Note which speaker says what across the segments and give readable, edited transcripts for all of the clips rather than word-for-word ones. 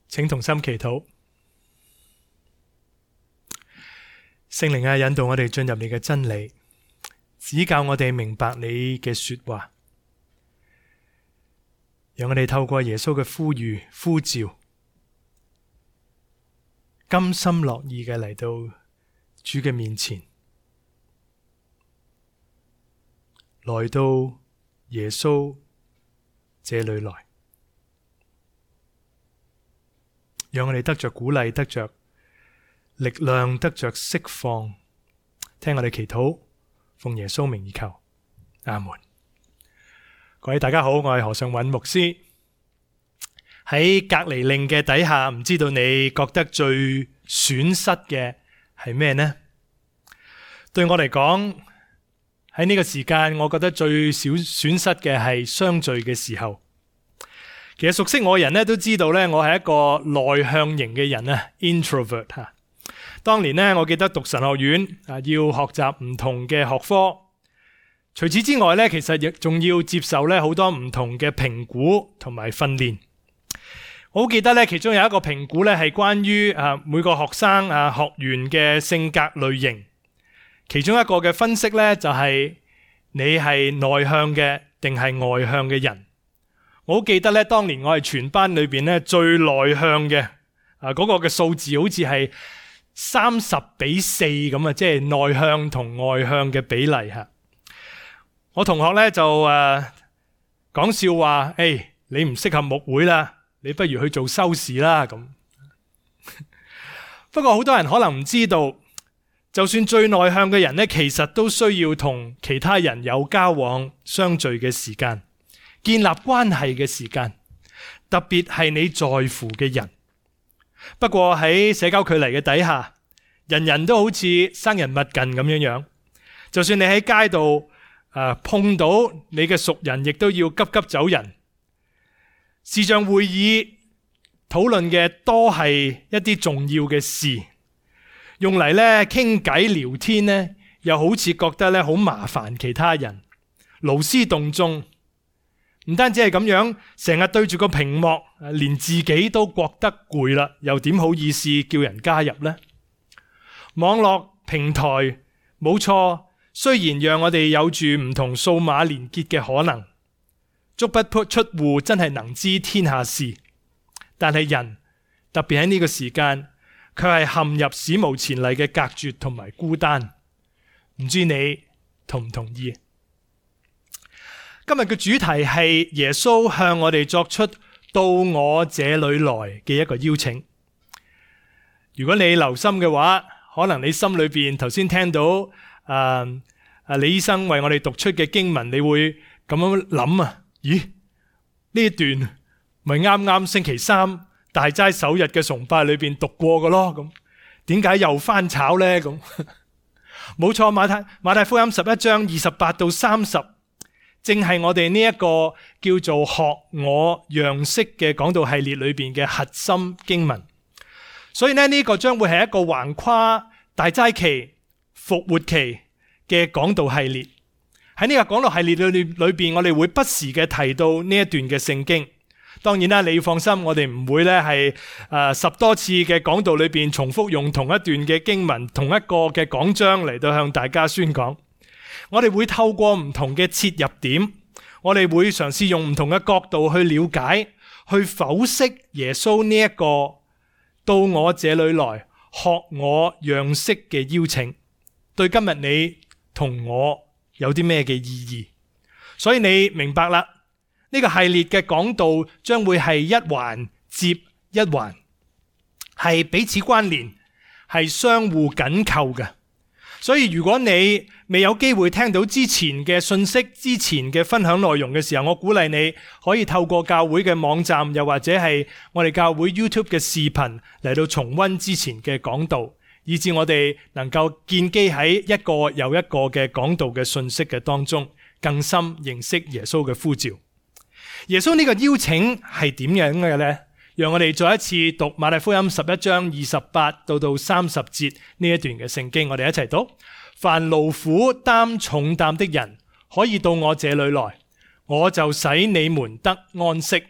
Speaker 1: 請同心祈禱。聖靈啊，引導我哋進入你嘅真理，指教我哋明白你嘅說話，讓我哋透過耶穌嘅呼籲呼召，甘心樂意嘅嚟到主嘅面前，來到耶穌這裏來，讓我哋得着鼓勵，得着力量，得着釋放。聽我哋祈禱，奉耶穌名而求，阿門。各位大家好，我係何尚韻牧師。喺隔離令嘅底下，唔知道你覺得最損失嘅係咩呢？對我嚟講，喺呢個時間，我覺得最少損失嘅係相聚嘅時候。其實熟悉我嘅人咧都知道咧，我係一個內向型嘅人啊 ，introvert 吓。當年咧，我記得讀神學院啊，要學習唔同嘅學科。除此之外咧，其實亦仲要接受咧好多唔同嘅評估同埋訓練。我好記得咧，其中有一個評估咧係關於每個學生學員嘅性格類型。其中一個嘅分析咧就係你係內向嘅定係外向嘅人。我好記得咧，當年我係全班裏邊咧最內向嘅嗰個嘅數字好似係30:4咁啊，即係內向同外向嘅比例吓。我同學咧就講笑話，你唔適合牧會啦，你不如去做修士啦咁。不過好多人可能唔知道，就算最內向嘅人咧，其實都需要同其他人有交往、相聚嘅時間，建立關係嘅時間，特別係你在乎嘅人。不過喺社交距離嘅底下，人人都好似生人勿近咁樣樣。就算你喺街度碰到你嘅熟人，亦都要急急走人。視像會議討論嘅多係一啲重要嘅事，用嚟咧傾偈聊天呢，又好似覺得咧好麻煩其他人，勞師動眾。唔單止係咁樣，成日對住個屏幕，連自己都覺得攰啦，又點好意思叫人加入呢？網絡平台冇錯，雖然讓我哋有住唔同數碼連結嘅可能，足不出戶真係能知天下事，但係人特別喺呢個時間，卻係陷入史無前例嘅隔絕同埋孤單。唔知你同唔同意？今日嘅主題係耶穌向我哋作出到我這裏來嘅一個邀請。如果你留心嘅話，可能你心裏邊頭先聽到李醫生為我哋讀出嘅經文，你會咁樣諗啊？咦，呢一段咪啱啱星期三大齋首日嘅崇拜裏邊讀過嘅咯？咁點解又翻炒呢？咁冇錯，馬太福音11章28到30。正係我哋呢一個叫做學我樣式嘅講道系列裏邊嘅核心經文，所以呢個將會係一個橫跨大齋期、復活期嘅講道系列。喺呢個講道系列裏邊，我哋會不時嘅提到呢一段嘅聖經。當然啦，你要放心，我哋唔會咧係10多次嘅講道裏邊重複用同一段嘅經文、同一個嘅講章嚟到向大家宣講。我哋會透過唔同嘅切入點，我哋會嘗試用唔同嘅角度去了解、去剖析耶穌呢一個到我這裏來學我樣式嘅邀請，對今日你同我有啲咩嘅意義？所以你明白啦，呢個系列嘅講道將會係一環接一環，係彼此關聯，係相互緊扣嘅。所以如果你未有機會聽到之前嘅信息、之前嘅分享內容嘅時候，我鼓勵你可以透過教會嘅網站，又或者係我哋教會 YouTube 嘅視頻嚟到重溫之前嘅講道，以致我哋能夠建基喺一個又一個嘅講道嘅信息嘅當中，更深認識耶穌嘅呼召。耶穌呢個邀請係點樣嘅呢？讓我哋再一次讀馬太福音11章28到30節呢一段嘅聖經，我哋一齊讀。凡勞苦擔重擔的人，可以到我這裏來，我就使你們得安息。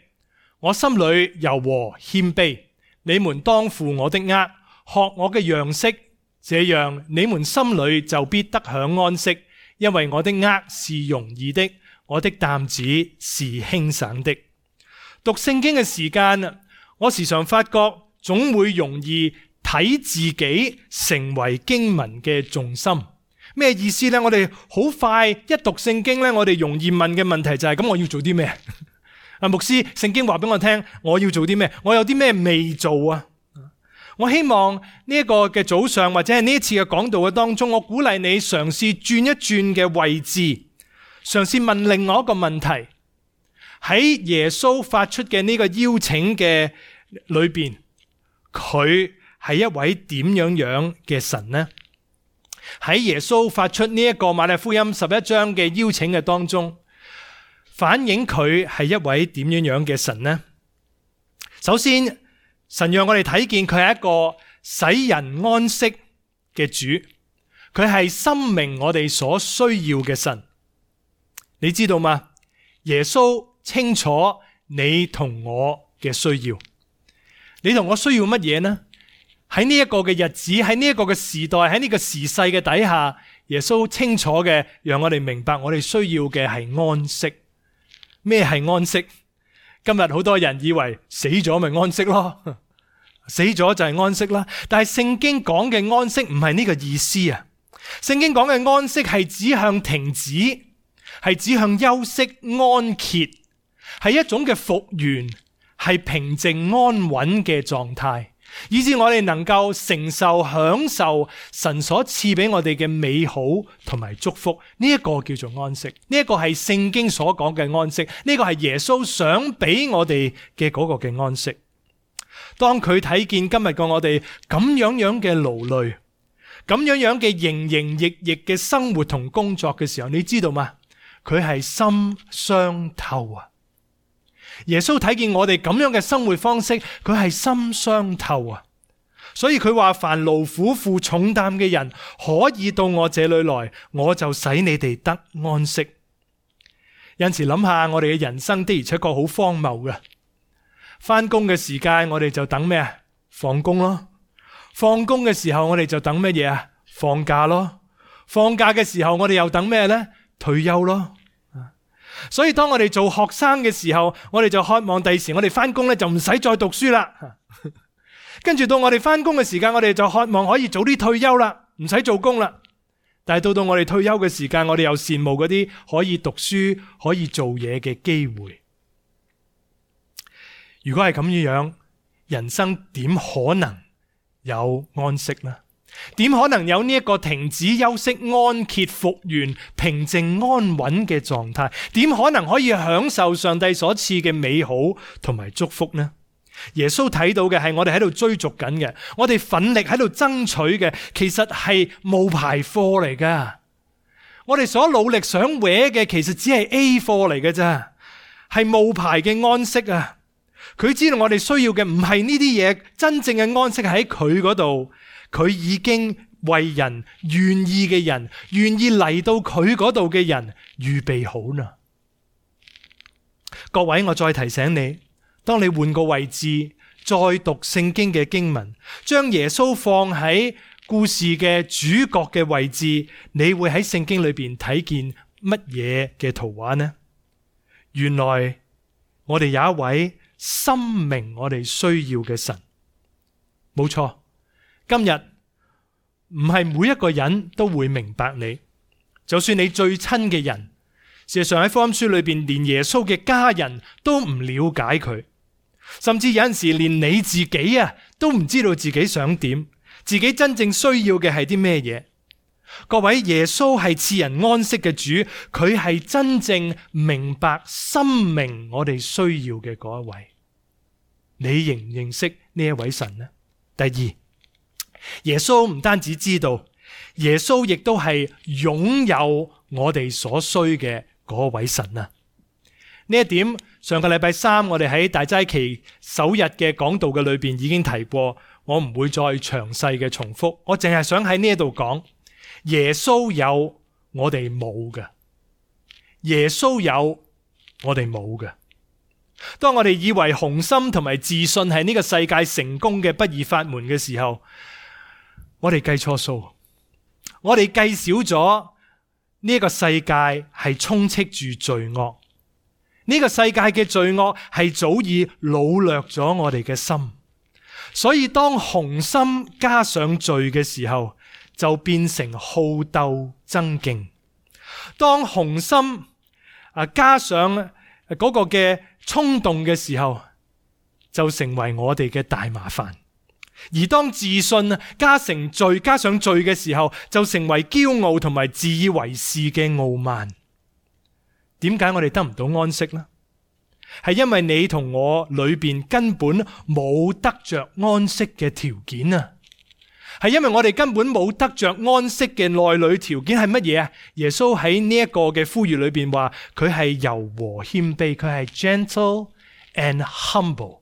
Speaker 1: 我心裏柔和謙卑，你們當負我的軛，學我嘅樣式，這樣你們心裏就必得享安息，因為我的軛是容易的，我的擔子是輕省的。讀聖經嘅時間，我時常發覺總會容易睇自己成為經文嘅重心。咩意思呢？我哋好快一讀聖經呢，我哋容易問嘅問題就係：咁我要做啲咩？牧師，聖經話俾我聽，我要做啲咩？我有啲咩未做啊？我希望呢一個嘅早上或者係呢一次嘅講道嘅當中，我鼓勵你嘗試轉一轉嘅位置，嘗試問另外一個問題。喺耶穌發出嘅呢個邀請嘅裏邊，佢係一位點樣嘅神呢？喺耶穌發出呢一個馬太福音11章嘅邀請嘅當中，反映佢係一位點樣嘅神呢？首先，神讓我哋睇見佢係一個使人安息嘅主，佢係深明我哋所需要嘅神。你知道嗎？耶穌清楚你同我嘅需要。你同我需要乜嘢呢？喺呢一個嘅日子，喺呢一個嘅時代，喺呢個時勢嘅底下，耶穌清楚嘅讓我哋明白我哋需要嘅係安息。咩係安息？今日好多人以為死咗咪安息咯，死咗就係安息啦。但係聖經講嘅安息唔係呢個意思啊。聖經講嘅安息係指向停止，係指向休息、安歇，係一種嘅復原，係平靜安穩嘅狀態，以致我哋能夠承受、享受神所賜俾我哋嘅美好同埋祝福。呢一個叫做安息，呢一個係聖經所講嘅安息，呢個係耶穌想俾我哋嘅嗰個嘅安息。當佢睇見今日嘅我哋咁樣嘅勞累，咁樣嘅營營役役嘅生活同工作嘅時候，你知道嗎？佢係心傷透啊！耶穌睇見我哋咁樣嘅生活方式，佢係心傷透啊！所以佢話：凡勞苦負重擔嘅人，可以到我這裏來，我就使你哋得安息。有時諗下，我哋嘅人生的而且確好荒謬嘅。翻工嘅時間，我哋就等咩啊？放工咯。放工嘅時候，我哋就等乜嘢啊？放假咯。放假嘅時候，我哋又等咩呢？退休咯。所以當我哋做學生嘅時候，我哋就渴望第時我哋翻工咧就唔使再讀書啦。跟住到我哋翻工嘅時間，我哋就渴望可以早啲退休啦，唔使做工啦。但係到我哋退休嘅時間，我哋又羨慕嗰啲可以讀書、可以做嘢嘅機會。如果係咁樣，人生點可能有安息呢？點可能有呢一個停止休息、安歇、復原、平靜安穩嘅狀態？點可能可以享受上帝所賜嘅美好同埋祝福呢？耶穌睇到嘅係我哋喺度追逐緊嘅，我哋奮力喺度爭取嘅，其實係冒牌貨嚟噶。我哋所努力想搲嘅，其實只係 A 貨嚟嘅啫，係冒牌嘅安息啊！佢知道我哋需要嘅唔係呢啲嘢，真正嘅安息喺佢嗰度。佢已經為人願意嘅人，願意嚟到佢嗰度嘅人預備好啦。各位，我再提醒你，當你換個位置，再讀聖經嘅經文，將耶穌放喺故事嘅主角嘅位置，你會喺聖經裏邊睇見乜嘢嘅圖畫呢？原來我哋有一位深明我哋需要嘅神，冇錯。今日唔係每一個人都會明白你，就算你最親嘅人，事實上喺福音書裏邊，連耶穌嘅家人都唔了解佢，甚至有陣時連你自己都唔知道自己想點，自己真正需要嘅係啲咩嘢。各位，耶穌係賜人安息嘅主，佢係真正明白、深明我哋需要嘅嗰一位。你認唔認識呢一位神呢？第二，耶穌唔單止知道，耶穌亦都係擁有我哋所需嘅嗰位神啊！呢一點上個禮拜三我哋喺大齋期首日嘅講道嘅裏邊已經提過，我唔會再詳細嘅重複，我淨係想喺呢度講，耶穌有我哋冇嘅，耶穌有我哋冇嘅。當我哋以為雄心同埋自信係呢個世界成功嘅不二法門嘅時候，我哋計錯數，我哋計少咗呢個世界係充斥住罪惡，呢個世界嘅罪惡係早已擄掠咗我哋嘅心，所以當雄心加上罪嘅時候，就變成好鬥爭競。當雄心加上嗰個嘅衝動嘅時候，就成為我哋嘅大麻煩。而當自信加上罪嘅時候，就成為驕傲同埋自以為是嘅傲慢。點解我哋得唔到安息呢？係因為你同我裏邊根本冇得着安息嘅條件啊！係因為我哋根本冇得着安息嘅內裏條件係乜嘢啊？耶穌喺呢一個嘅呼籲裏邊話佢係柔和謙卑，佢係 gentle and humble，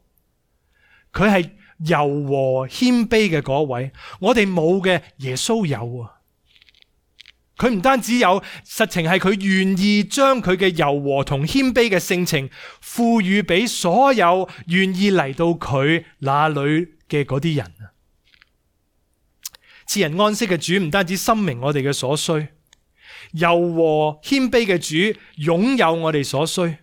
Speaker 1: 佢係柔和謙卑嘅嗰位。我哋冇嘅，耶穌有啊！佢唔單止有，實情係佢願意將佢嘅柔和同謙卑嘅性情賦予俾所有願意嚟到佢那裏嘅嗰啲人。賜人安息嘅主唔單止深明我哋嘅所需，柔和謙卑嘅主擁有我哋所需。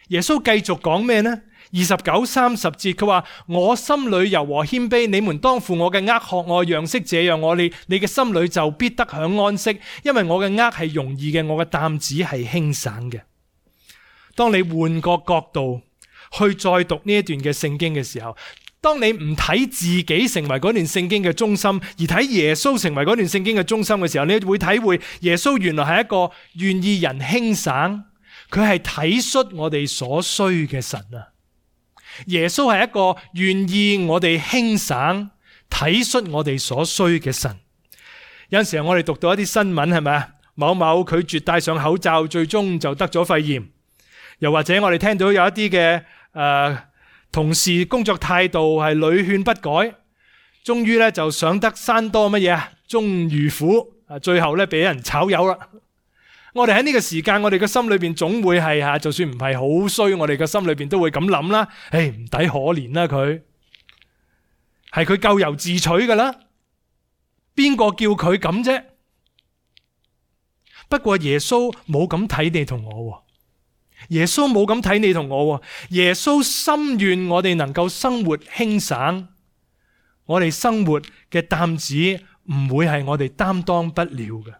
Speaker 1: 耶穌繼續講咩呢？29、30節佢話：我心裏柔和謙卑，你們當負我嘅軛學我樣式，這樣你嘅心裏就必得享安息，因為我嘅軛係容易嘅，我嘅擔子係輕省嘅。當你換個角度去再讀呢一段嘅聖經嘅時候，當你唔睇自己成為嗰段聖經嘅中心，而睇耶穌成為嗰段聖經嘅中心嘅時候，你會體會耶穌原來係一個願意人輕省，佢係體恤我哋所需嘅神啊！耶穌係一個願意我哋輕省、體恤我哋所需嘅神。有陣時候我哋讀到一啲新聞，係咪啊？某某拒絕戴上口罩，最終就得咗肺炎。又或者我哋聽到有一啲嘅同事工作態度係屢勸不改，終於咧就上得山多乜嘢啊？終遇虎，最後咧俾人炒魷啦。我哋喺呢個時間，我哋嘅心裏邊總會係就算唔係好衰，我哋嘅心裏邊都會咁諗啦。唔抵可憐啦，佢係佢咎由自取噶啦，邊個叫佢咁啫？不過耶穌冇咁睇你同我，耶穌冇咁睇你同我。耶穌心願我哋能夠生活輕省，我哋生活嘅擔子唔會係我哋擔當不了嘅。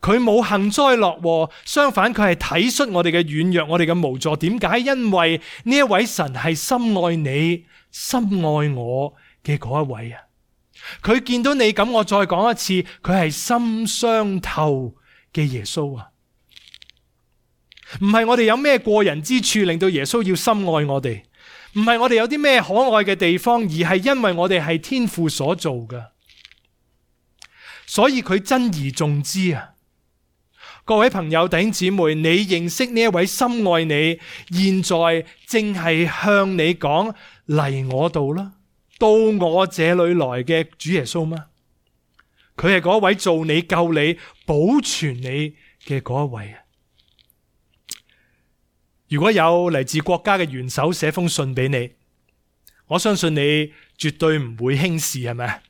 Speaker 1: 佢冇幸災樂禍，相反佢係體恤我哋嘅軟弱，我哋嘅無助。點解？因為呢一位神係深愛你、深愛我嘅嗰一位啊！佢見到你咁，我再講一次，佢係心傷透嘅耶穌啊！唔係我哋有咩過人之處令到耶穌要深愛我哋，唔係我哋有啲咩可愛嘅地方，而係因為我哋係天父所做嘅，所以佢珍而重之啊！各位朋友、弟兄姊妹，你認識呢一位深愛你，現在正係向你講嚟我度啦，到我這裏來嘅主耶穌嗎？佢係嗰位做你、救你、保存你嘅嗰一位啊！如果有嚟自國家嘅元首寫封信俾你，我相信你絕對唔會輕視，係咪？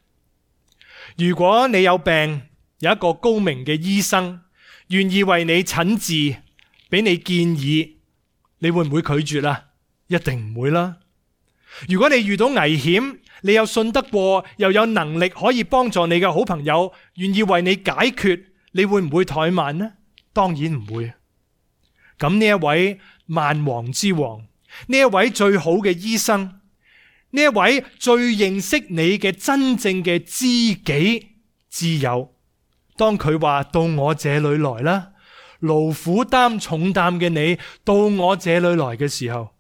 Speaker 1: 如果你有病，有一個高明嘅醫生願意為你診治，俾你建議，你會唔會拒絕啊？一定唔會啦。如果你遇到危險，你有信得過又有能力可以幫助你嘅好朋友願意為你解決，你會唔會怠慢呢？當然唔會。咁呢一位萬王之王，呢一位最好嘅醫生，呢一位最認識你嘅真正嘅知己知友，當佢話到我這裏來啦，勞苦擔重擔嘅你到我這裏來嘅時候，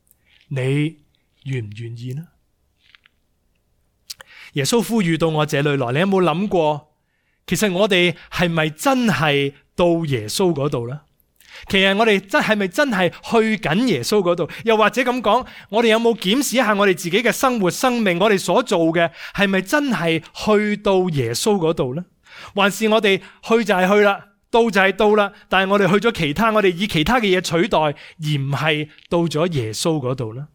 Speaker 1: 你願唔願意呢？耶穌呼籲到我這裏來，你有冇諗過，其實我哋係咪真係到耶穌嗰度呢？其實我哋係咪真係去緊耶穌嗰度？又或者咁講，我哋有冇檢視一下我哋自己嘅生活、生命，我哋所做嘅係咪真係去到耶穌嗰度呢？還是我哋去就係去啦，到就係到啦，但係我哋去咗其他，我哋以其他嘅嘢取代，而唔係到咗耶穌嗰度啦。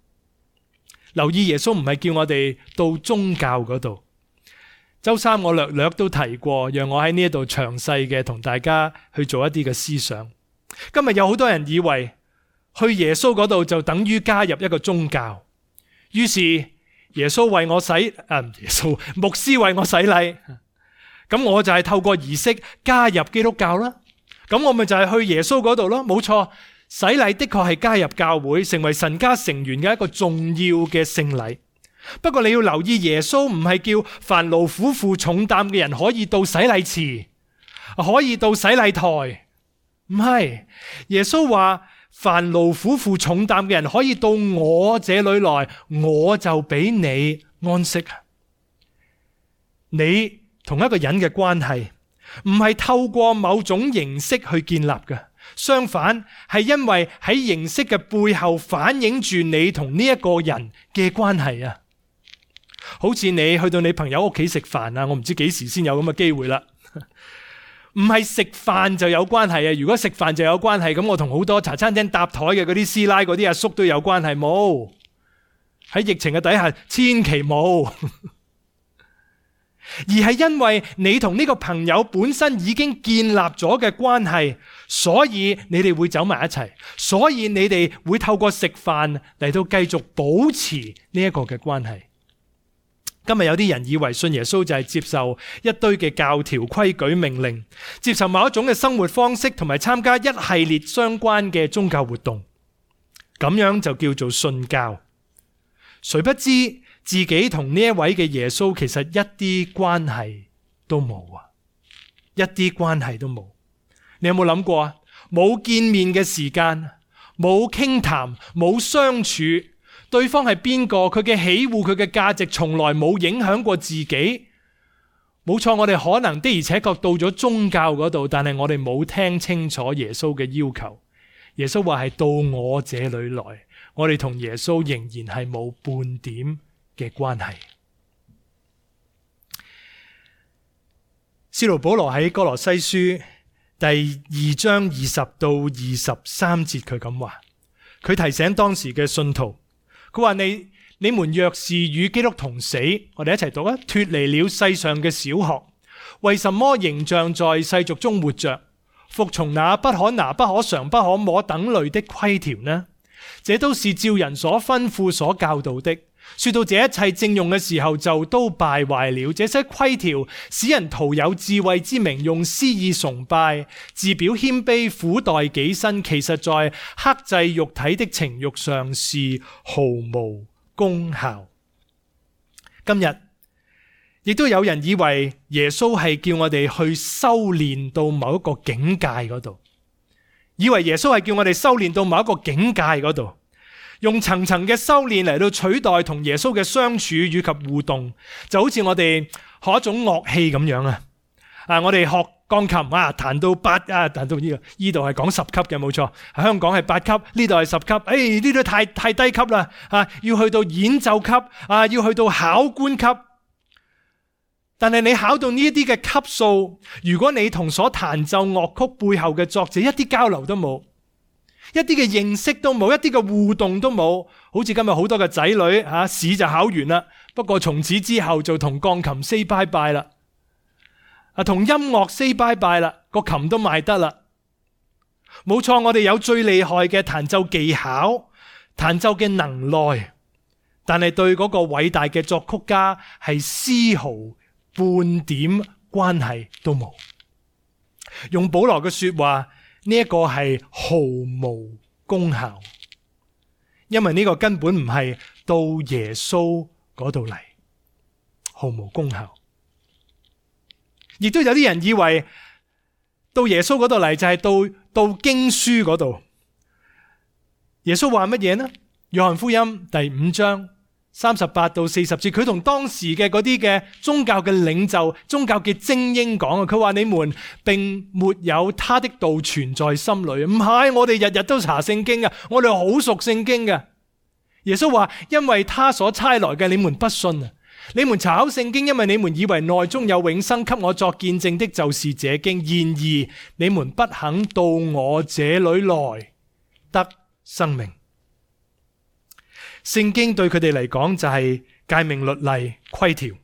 Speaker 1: 留意耶穌唔係叫我哋到宗教嗰度。周三我略略都提過，讓我喺呢一度詳細嘅同大家去做一啲嘅思想。今日有好多人以為去耶穌嗰度就等於加入一個宗教，於是耶穌為我牧師為我洗禮，咁我就係透過儀式加入基督教啦。咁我咪就係去耶穌嗰度咯。冇錯，洗禮的確係加入教會，成為神家成員嘅一個重要嘅聖禮。不過你要留意，耶穌唔係叫凡勞苦負重擔嘅人可以到洗禮池，可以到洗禮台，唔係。耶穌話凡勞苦負重擔嘅人可以到我這裏來，我就俾你安息。你同一個人嘅關係唔係透過某種形式去建立嘅，相反係因為喺形式嘅背後反映住你同呢一個人嘅關係啊。好似你去到你朋友屋企食飯啊，我唔知幾時先有咁嘅機會啦。唔係食飯就有關係啊！如果食飯就有關係，咁我同好多茶餐廳搭台嘅嗰啲師奶、嗰啲阿叔都有關係，冇。喺疫情嘅底下，千祈冇。而係因為你同呢個朋友本身已經建立咗嘅關係，所以你哋會走埋一齊，所以你哋會透過食飯嚟到繼續保持呢一個嘅關係。今日有啲人以為信耶穌就係接受一堆嘅教條、規矩、命令，接受某一種嘅生活方式，同埋參加一系列相關嘅宗教活動，咁樣就叫做信教。誰不知自己同呢一位嘅耶穌其實一啲關係都冇啊！一啲關係都冇。你有冇諗過啊？冇見面嘅時間，冇傾談，冇相處。對方係邊個？佢嘅喜惡，佢嘅價值從來冇影響過自己。冇錯，我哋可能的而且確到咗宗教嗰度，但係我哋冇聽清楚耶穌嘅要求。耶穌話係到我這裏來，我哋同耶穌仍然係冇半點嘅關係。使徒保羅喺哥羅西書第2章20到23節，佢咁話，佢提醒當時嘅信徒。佢話你們若是與基督同死，我哋一齊讀啊！脫離了世上嘅小學，為什麼仍像在世俗中活着，服從那不可拿、不可嘗、不可摸等類的規條呢？這都是照人所吩咐、所教導的。說到這一切正用嘅時候，就都敗壞了。這些規條使人徒有智慧之名，用私意崇拜，自表謙卑，苦待己身，其實在克制肉體的情慾上是毫無功效。今日亦都有人以為耶穌係叫我哋去修煉到某一個境界嗰度，以為耶穌係叫我哋修煉到某一個境界嗰度。用層層嘅修煉嚟到取代同耶穌嘅相處以及互動，就好似我哋學一種樂器咁樣啊！我哋學鋼琴啊，彈到彈到呢度係講10級嘅，冇錯。香港係8級，呢度係10級。呢度太低級啦！要去到演奏級要去到考官級。但係你考到呢一啲嘅級數，如果你同所彈奏樂曲背後嘅作者一啲交流都冇，一啲嘅認識都冇，一啲嘅互動都冇，好似今日好多嘅仔女試就考完啦，不過從此之後就同鋼琴 say bye bye 啦，同音樂 say bye bye 啦，個琴都賣得啦。冇錯，我哋有最厲害嘅彈奏技巧、彈奏嘅能耐，但係對嗰個偉大嘅作曲家係絲毫半點關係都冇。用保羅嘅說話，呢一個係毫無功效，因為呢個根本唔係到耶穌嗰度嚟，毫無功效。亦都有啲人以為到耶穌嗰度嚟就係到經書嗰度。耶穌話乜嘢呢？約翰福音第5章38到40節，佢同當時嘅嗰啲嘅宗教嘅領袖、宗教嘅精英講啊，佢話你們並沒有他的道存在心裏。唔係，我哋日日都查聖經嘅，我哋好熟聖經嘅。耶穌話，因為他所差來嘅你們不信啊，你們查考聖經，因為你們以為內中有永生，給我作見證的就是這經。然而你們不肯到我這裏來得生命。聖經對佢哋嚟講就係誡命律例規條，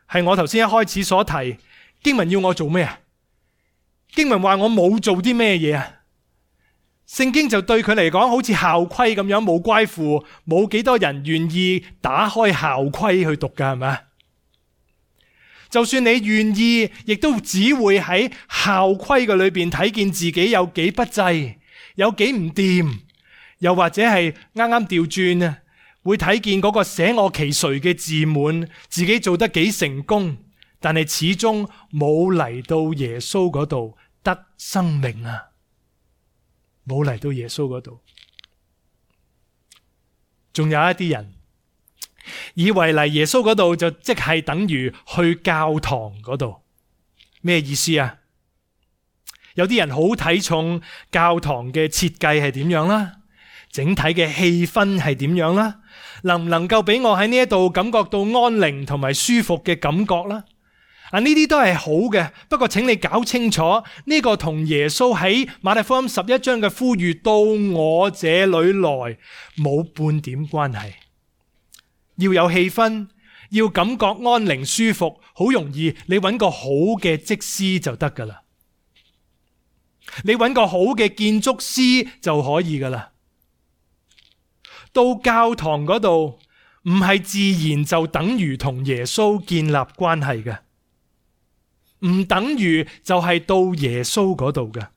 Speaker 1: 係我頭先一開始所提，經文要我做咩啊？經文話我冇做啲咩嘢啊？聖經就對佢嚟講好似校規咁樣，冇關乎冇幾多人願意打開校規去讀噶，係咪？就算你願意，亦都只會喺校規嘅裏邊睇見自己有幾不濟，有幾唔掂，又或者係啱啱調轉啊，會睇見嗰個捨我其誰嘅自滿，自己做得幾成功，但係始終冇嚟到耶穌嗰度得生命啊！冇嚟到耶穌嗰度。仲有一啲人以為嚟耶穌嗰度就即係等於去教堂嗰度。咩意思啊？有啲人好睇重教堂嘅設計係點樣啦，整體嘅氣氛係點樣啦，能唔能夠俾我喺呢一度感覺到安寧同埋舒服嘅感覺啦？呢啲都係好嘅，不過請你搞清楚呢個同耶穌喺馬太福音11章嘅呼籲到我這裏來冇半點關係。要有氣氛，要感覺安寧舒服，好容易你揾個好嘅則師就得噶啦，你揾個好嘅建築師就可以噶啦。到教堂嗰度唔係自然就等於同耶穌建立關係嘅，唔等於就係到耶穌嗰度嘅。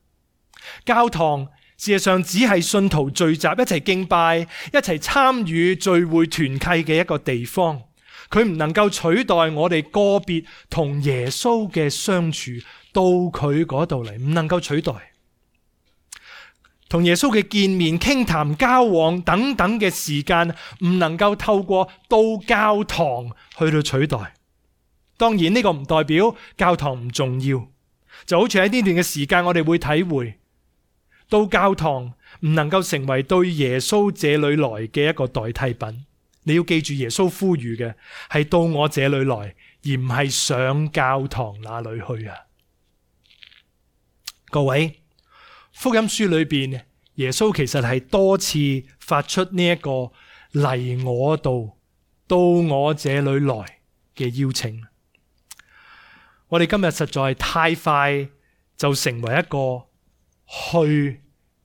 Speaker 1: 教堂事實上只係信徒聚集一齊敬拜、一齊參與聚會團契嘅一個地方，佢唔能夠取代我哋個別同耶穌嘅相處，到佢嗰度嚟，唔能夠取代同耶穌嘅見面、傾談、交往等等嘅時間，唔能夠透過到教堂去到取代。當然呢個唔代表教堂唔重要，就好似喺呢段嘅時間我哋會體會到教堂唔能夠成為對耶穌這裏來嘅一個代替品。你要記住耶穌呼籲嘅係到我這裏來，而唔係上教堂那裏去啊！各位，福音書裏邊耶穌其實係多次發出呢一個嚟我度到我這裏來嘅邀請。我哋今日實在太快就成為一個去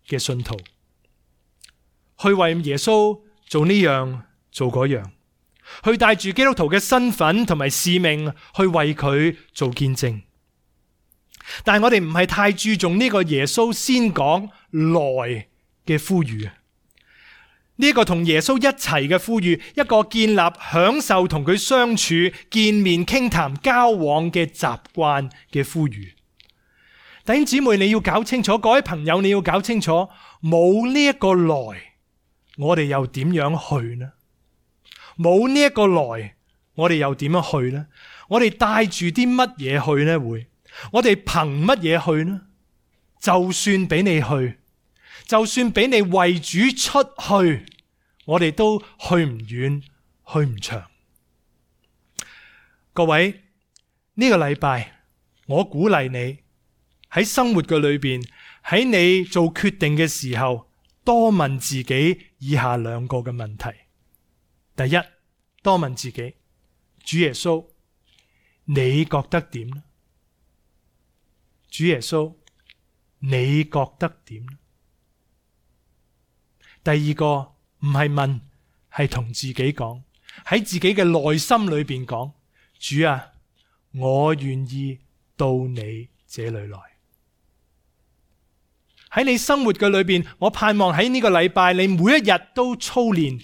Speaker 1: 嘅信徒，去為耶穌做呢樣做嗰樣，去帶住基督徒嘅身份同埋使命去為佢做見證。但係我哋唔係太注重呢個耶穌先講來嘅呼籲，呢個同耶穌一齊嘅呼籲，一個建立享受同佢相處、見面、傾談、交往嘅習慣嘅呼籲。弟兄姊妹，你要搞清楚，各位朋友你要搞清楚，冇呢一個來，我哋又點樣去呢？冇呢一個來，我哋又點樣去呢？我哋帶住啲乜嘢去呢？會我哋憑乜嘢去呢？就算俾你去，就算俾你為主出去，我哋都去唔遠，去唔長。各位，呢個禮拜我鼓勵你喺生活嘅裏邊，喺你做決定嘅時候，多問自己以下兩個嘅問題。第一，多問自己，主耶穌，你覺得點呢？主耶穌，你覺得點呢？第二個唔係問，係同自己講，喺自己嘅內心裏邊講，主啊，我願意到你這裏來。喺你生活嘅裏邊，我盼望喺呢個禮拜，你每一日都操練，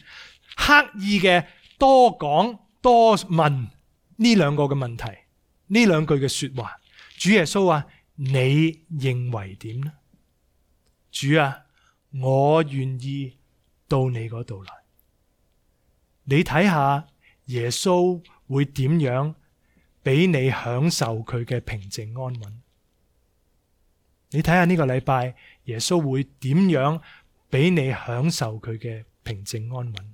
Speaker 1: 刻意嘅多講多問呢兩個嘅問題，呢兩句嘅說話。主耶穌啊，你認為點呢？主啊，我願意到你嗰度來。你睇下耶穌會點樣俾你享受佢嘅平靜安穩？你睇下呢個禮拜耶穌會點樣俾你享受佢嘅平靜安穩？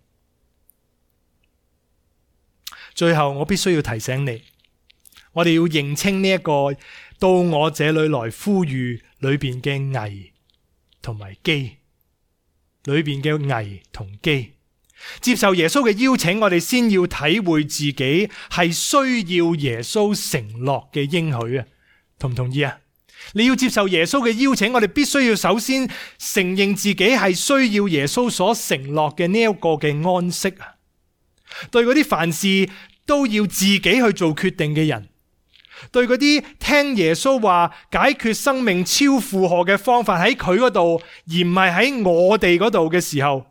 Speaker 1: 最後我必須要提醒你，我哋要認清呢一個到我這裏來呼籲裏邊嘅危同埋機，裏邊嘅危同機。接受耶穌嘅邀請，我哋先要體會自己係需要耶穌承諾嘅應許啊，同唔同意啊？你要接受耶穌嘅邀請，我哋必須要首先承認自己係需要耶穌所承諾嘅呢一個嘅安息啊。對嗰啲凡事都要自己去做決定嘅人，對嗰啲聽耶穌話解決生命超負荷嘅方法喺佢嗰度，而唔係喺我哋嗰度嘅時候，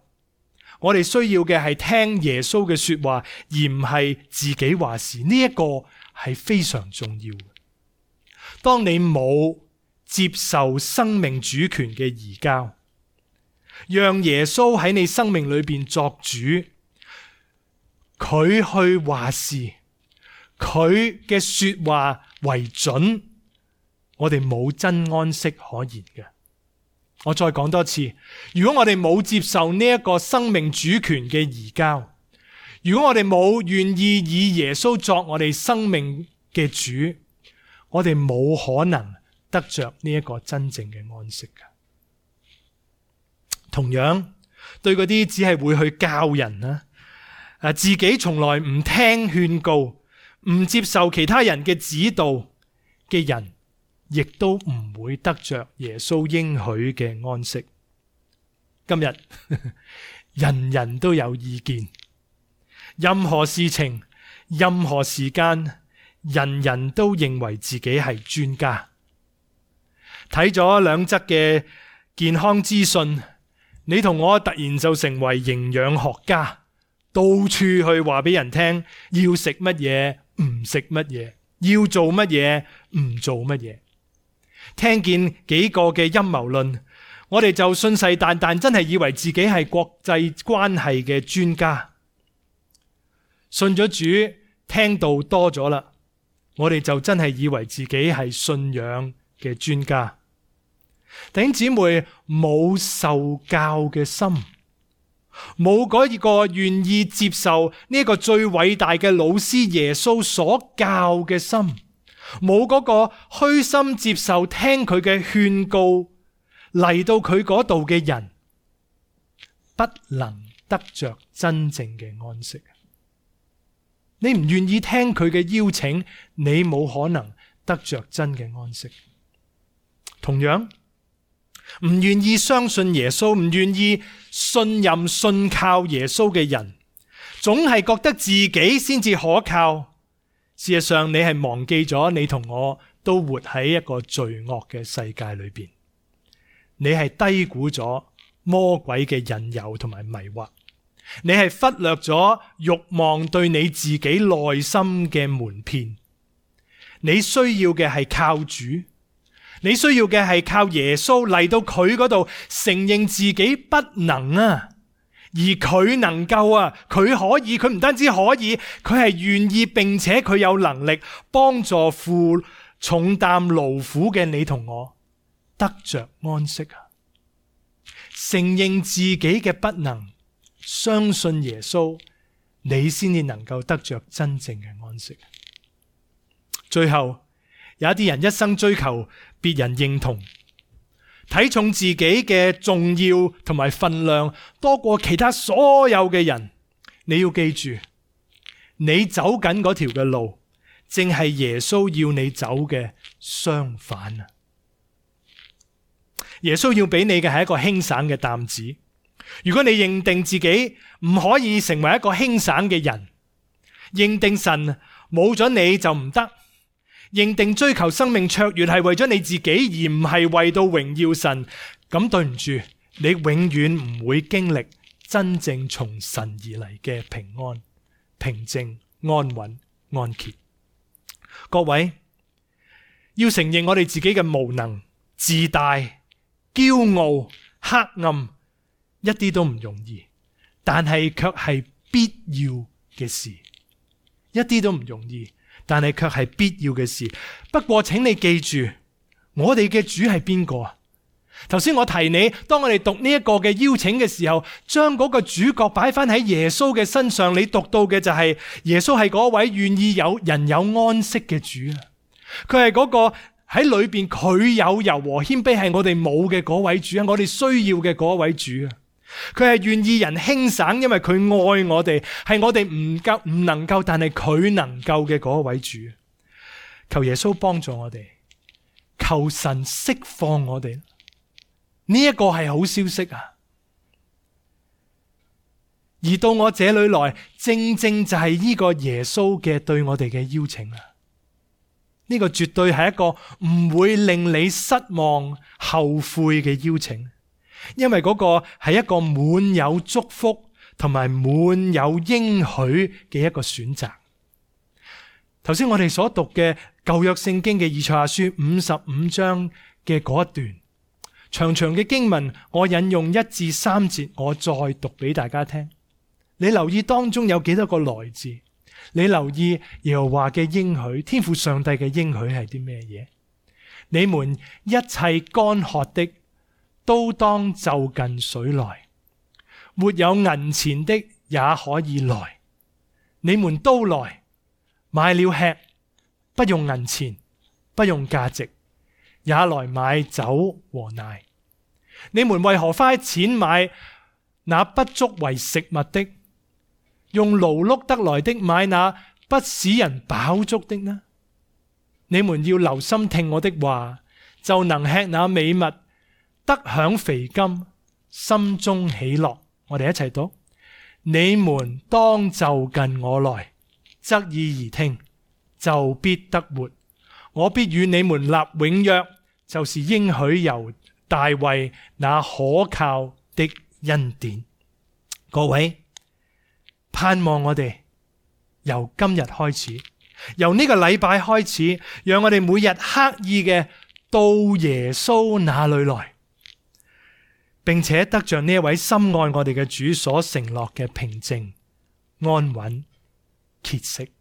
Speaker 1: 我哋需要嘅係聽耶穌嘅說話，而唔係自己話事。呢一個係非常重要嘅。當你冇接受生命主權嘅移交，讓耶穌喺你生命裏邊作主，佢去話事，佢嘅說話為準，我哋冇真安息可言嘅。我再講多次，如果我哋冇接受呢一個生命主權嘅移交，如果我哋冇願意以耶穌作我哋生命嘅主，我哋冇可能得着呢一個真正嘅安息嘅。同樣，對嗰啲只係會去教人自己從來唔聽勸告，唔接受其他人嘅指導嘅人，亦都唔會得着耶穌應許嘅安息。今日人人都有意見，任何事情、任何時間，人人都認為自己係專家。睇咗兩則嘅健康資訊，你同我突然就成為營養學家，到處去話俾人聽要食乜嘢，唔食乜嘢，要做乜嘢，唔做乜嘢。聽見幾個嘅陰謀論，我哋就信誓旦旦真係以為自己係國際關係嘅專家。信咗主，聽到多咗啦，我哋就真係以為自己係信仰嘅專家。弟兄姊妹，冇受教嘅心，冇嗰個願意接受呢個最偉大嘅老師耶穌所教嘅心，冇嗰個虛心接受聽佢嘅勸告嚟到佢嗰度嘅人，不能得着真正嘅安息。你唔願意聽佢嘅邀請，你冇可能得着真嘅安息。同樣，唔願意相信耶穌，唔願意信任信靠耶穌嘅人，總係覺得自己先至可靠。事實上，你係忘記咗你同我都活喺一個罪惡嘅世界裏邊，你係低估咗魔鬼嘅引誘同埋迷惑，你係忽略咗慾望對你自己內心嘅瞞騙。你需要嘅係靠主，你需要嘅係靠耶穌嚟到佢嗰度承認自己不能啊，而佢能夠啊，佢可以，佢唔單止可以，佢係願意，並且佢有能力幫助負重擔勞苦嘅你同我得着安息啊！承認自己嘅不能，相信耶穌，你先至能夠得着真正嘅安息。最後，有一啲人一生追求別人認同，睇重自己嘅重要同埋分量多過其他所有嘅人。你要記住，你走緊嗰條嘅路，正係耶穌要你走嘅相反啊！耶穌要俾你嘅係一個輕省嘅擔子。如果你認定自己唔可以成為一個輕省嘅人，認定神冇咗你就唔得，認定追求生命卓越係為咗你自己而唔係為到榮耀神，咁對唔住，你永遠唔會經歷真正從神而嚟嘅平安、平靜、安穩、安歇。各位，要承認我哋自己嘅無能、自大、驕傲、黑暗，一啲都唔容易，但係卻係必要嘅事。一啲都唔容易，但係卻係必要嘅事。不過請你記住，我哋嘅主係邊個啊？頭先我提你，當我哋讀呢一個嘅邀請嘅時候，將嗰個主角擺翻喺耶穌嘅身上，你讀到嘅就係耶穌係嗰位願意有人有安息嘅主啊！佢係嗰個喺裏邊佢有柔和謙卑，係我哋冇嘅嗰位主啊！我哋需要嘅嗰位主啊！佢係願意人輕省，因為佢愛我哋，係我哋唔能夠，但係佢能夠嘅嗰位主。求耶穌幫助我哋，求神釋放我哋。呢一個係好消息啊！而到我這裏來，正正就係呢個耶穌嘅對我哋嘅邀請啊！呢個絕對係一個唔會令你失望後悔嘅邀請，因為嗰個係一個滿有祝福同埋滿有應許嘅一個選擇。頭先我哋所讀嘅舊約聖經嘅以賽亞書55章嘅嗰一段長長嘅經文，我引用1至3節，我再讀俾大家聽。你留意當中有幾多個來字？你留意耶和華嘅應許，天父上帝嘅應許係啲咩嘢？你們一切乾渴的都當就近水來，沒有銀錢的也可以來。你們都來，買了吃，不用銀錢，不用價值，也來買酒和奶。你們為何花錢買那不足為食物的，用勞碌得來的買那不使人飽足的呢？你們要留心聽我的話，就能吃那美物，得享肥甘，心中喜樂。我哋一齊讀：你們當就近我來，側耳而聽，就必得活。我必與你們立永約，就是應許由大衛那可靠的恩典。各位，盼望我哋由今日開始，由呢個禮拜開始，讓我哋每日刻意嘅到耶穌那裏來，並且得着呢一位深愛我哋嘅主所承諾嘅平靜、安穩、歇息。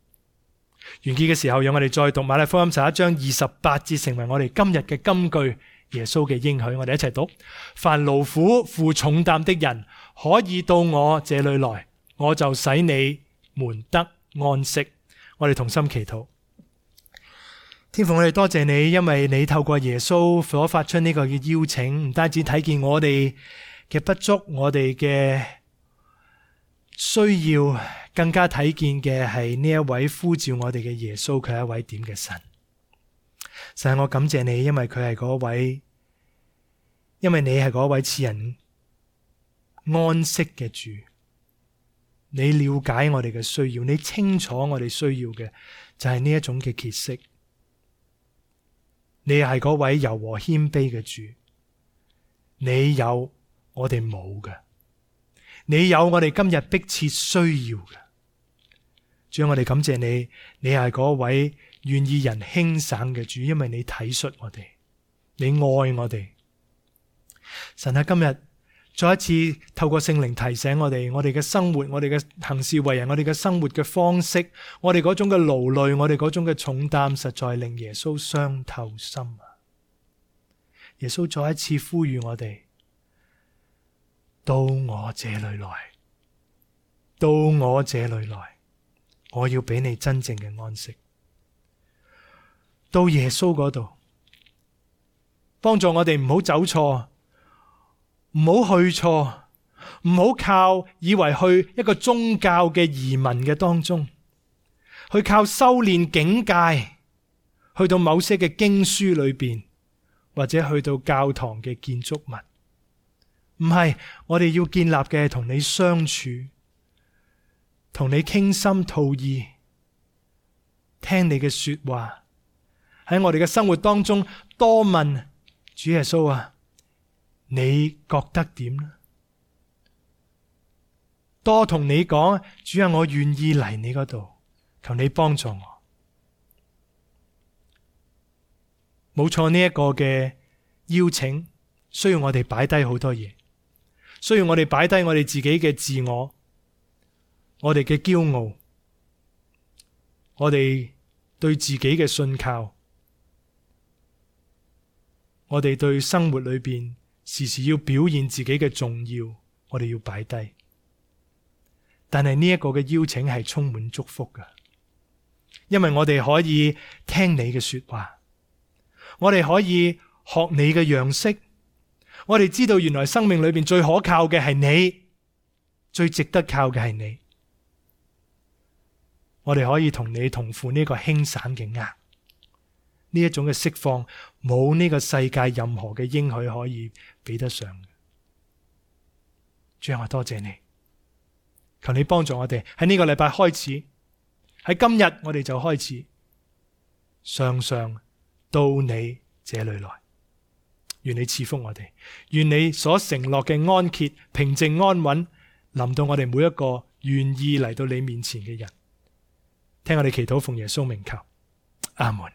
Speaker 1: 完結嘅時候，讓我哋再讀馬太福音11章28節，成為我哋今日嘅金句。耶穌嘅應許，我哋一齊讀：凡勞苦負重擔的人，可以到我這裏來，我就使你們得安息。我哋同心祈禱。天父，我哋多謝你，因為你透過耶穌所發出呢個嘅邀請，唔單止睇見我哋嘅不足，我哋嘅需要，更加睇見嘅係呢一位呼召我哋嘅耶穌，佢係一位點嘅神。神，我感謝你，因為佢係嗰位，因為你係嗰位賜人安息嘅主。你了解我哋嘅需要，你清楚我哋需要嘅就係呢一種嘅歇息。你係嗰位柔和謙卑嘅主，你有我哋冇嘅，你有我哋今日迫切需要嘅。主，我哋感謝你，你係嗰位願意人輕省嘅主，因為你體恤我哋，你愛我哋。神喺今日再一次透過聖靈提醒我哋嘅生活，我哋嘅行事為人，我哋嘅生活嘅方式，我哋嗰種嘅勞累，我哋嗰種嘅重擔，實在令耶穌傷透心啊！耶穌再一次呼籲我哋，到我這裏來，到我這裏來，我要俾你真正嘅安息。到耶穌嗰度，幫助我哋唔好走錯，唔好去錯，唔好靠以為去一個宗教嘅移民嘅當中，去靠修煉境界，去到某些嘅經書裏邊，或者去到教堂嘅建築物。唔係，我哋要建立嘅係同你相處，同你傾心吐意，聽你嘅說話，喺我哋嘅生活當中多問主耶穌啊，你覺得點呢？多同你講，主啊，我願意嚟你嗰度，求你幫助我。冇錯，呢一個嘅邀請需要我哋擺低好多嘢，需要我哋擺低我哋自己嘅自我，我哋嘅驕傲，我哋對自己嘅信靠，我哋對生活裏邊時時要表現自己嘅重要，我哋要擺低。但係呢一個嘅邀請係充滿祝福㗎，因為我哋可以聽你嘅說話，我哋可以學你嘅樣式，我哋知道原來生命裏邊最可靠嘅係你，最值得靠嘅係你。我哋可以同你同負呢個輕省嘅軛，呢一種嘅釋放，冇呢個世界任何嘅應許可以比得上。主啊，我多謝你，求你幫助我哋喺呢個禮拜開始，喺今日我哋就開始，常常到你這裏來。願你賜福我哋，願你所承諾嘅安歇、平靜、安穩臨到我哋每一個願意嚟到你面前嘅人。聽我哋祈禱，奉耶穌名求，阿門。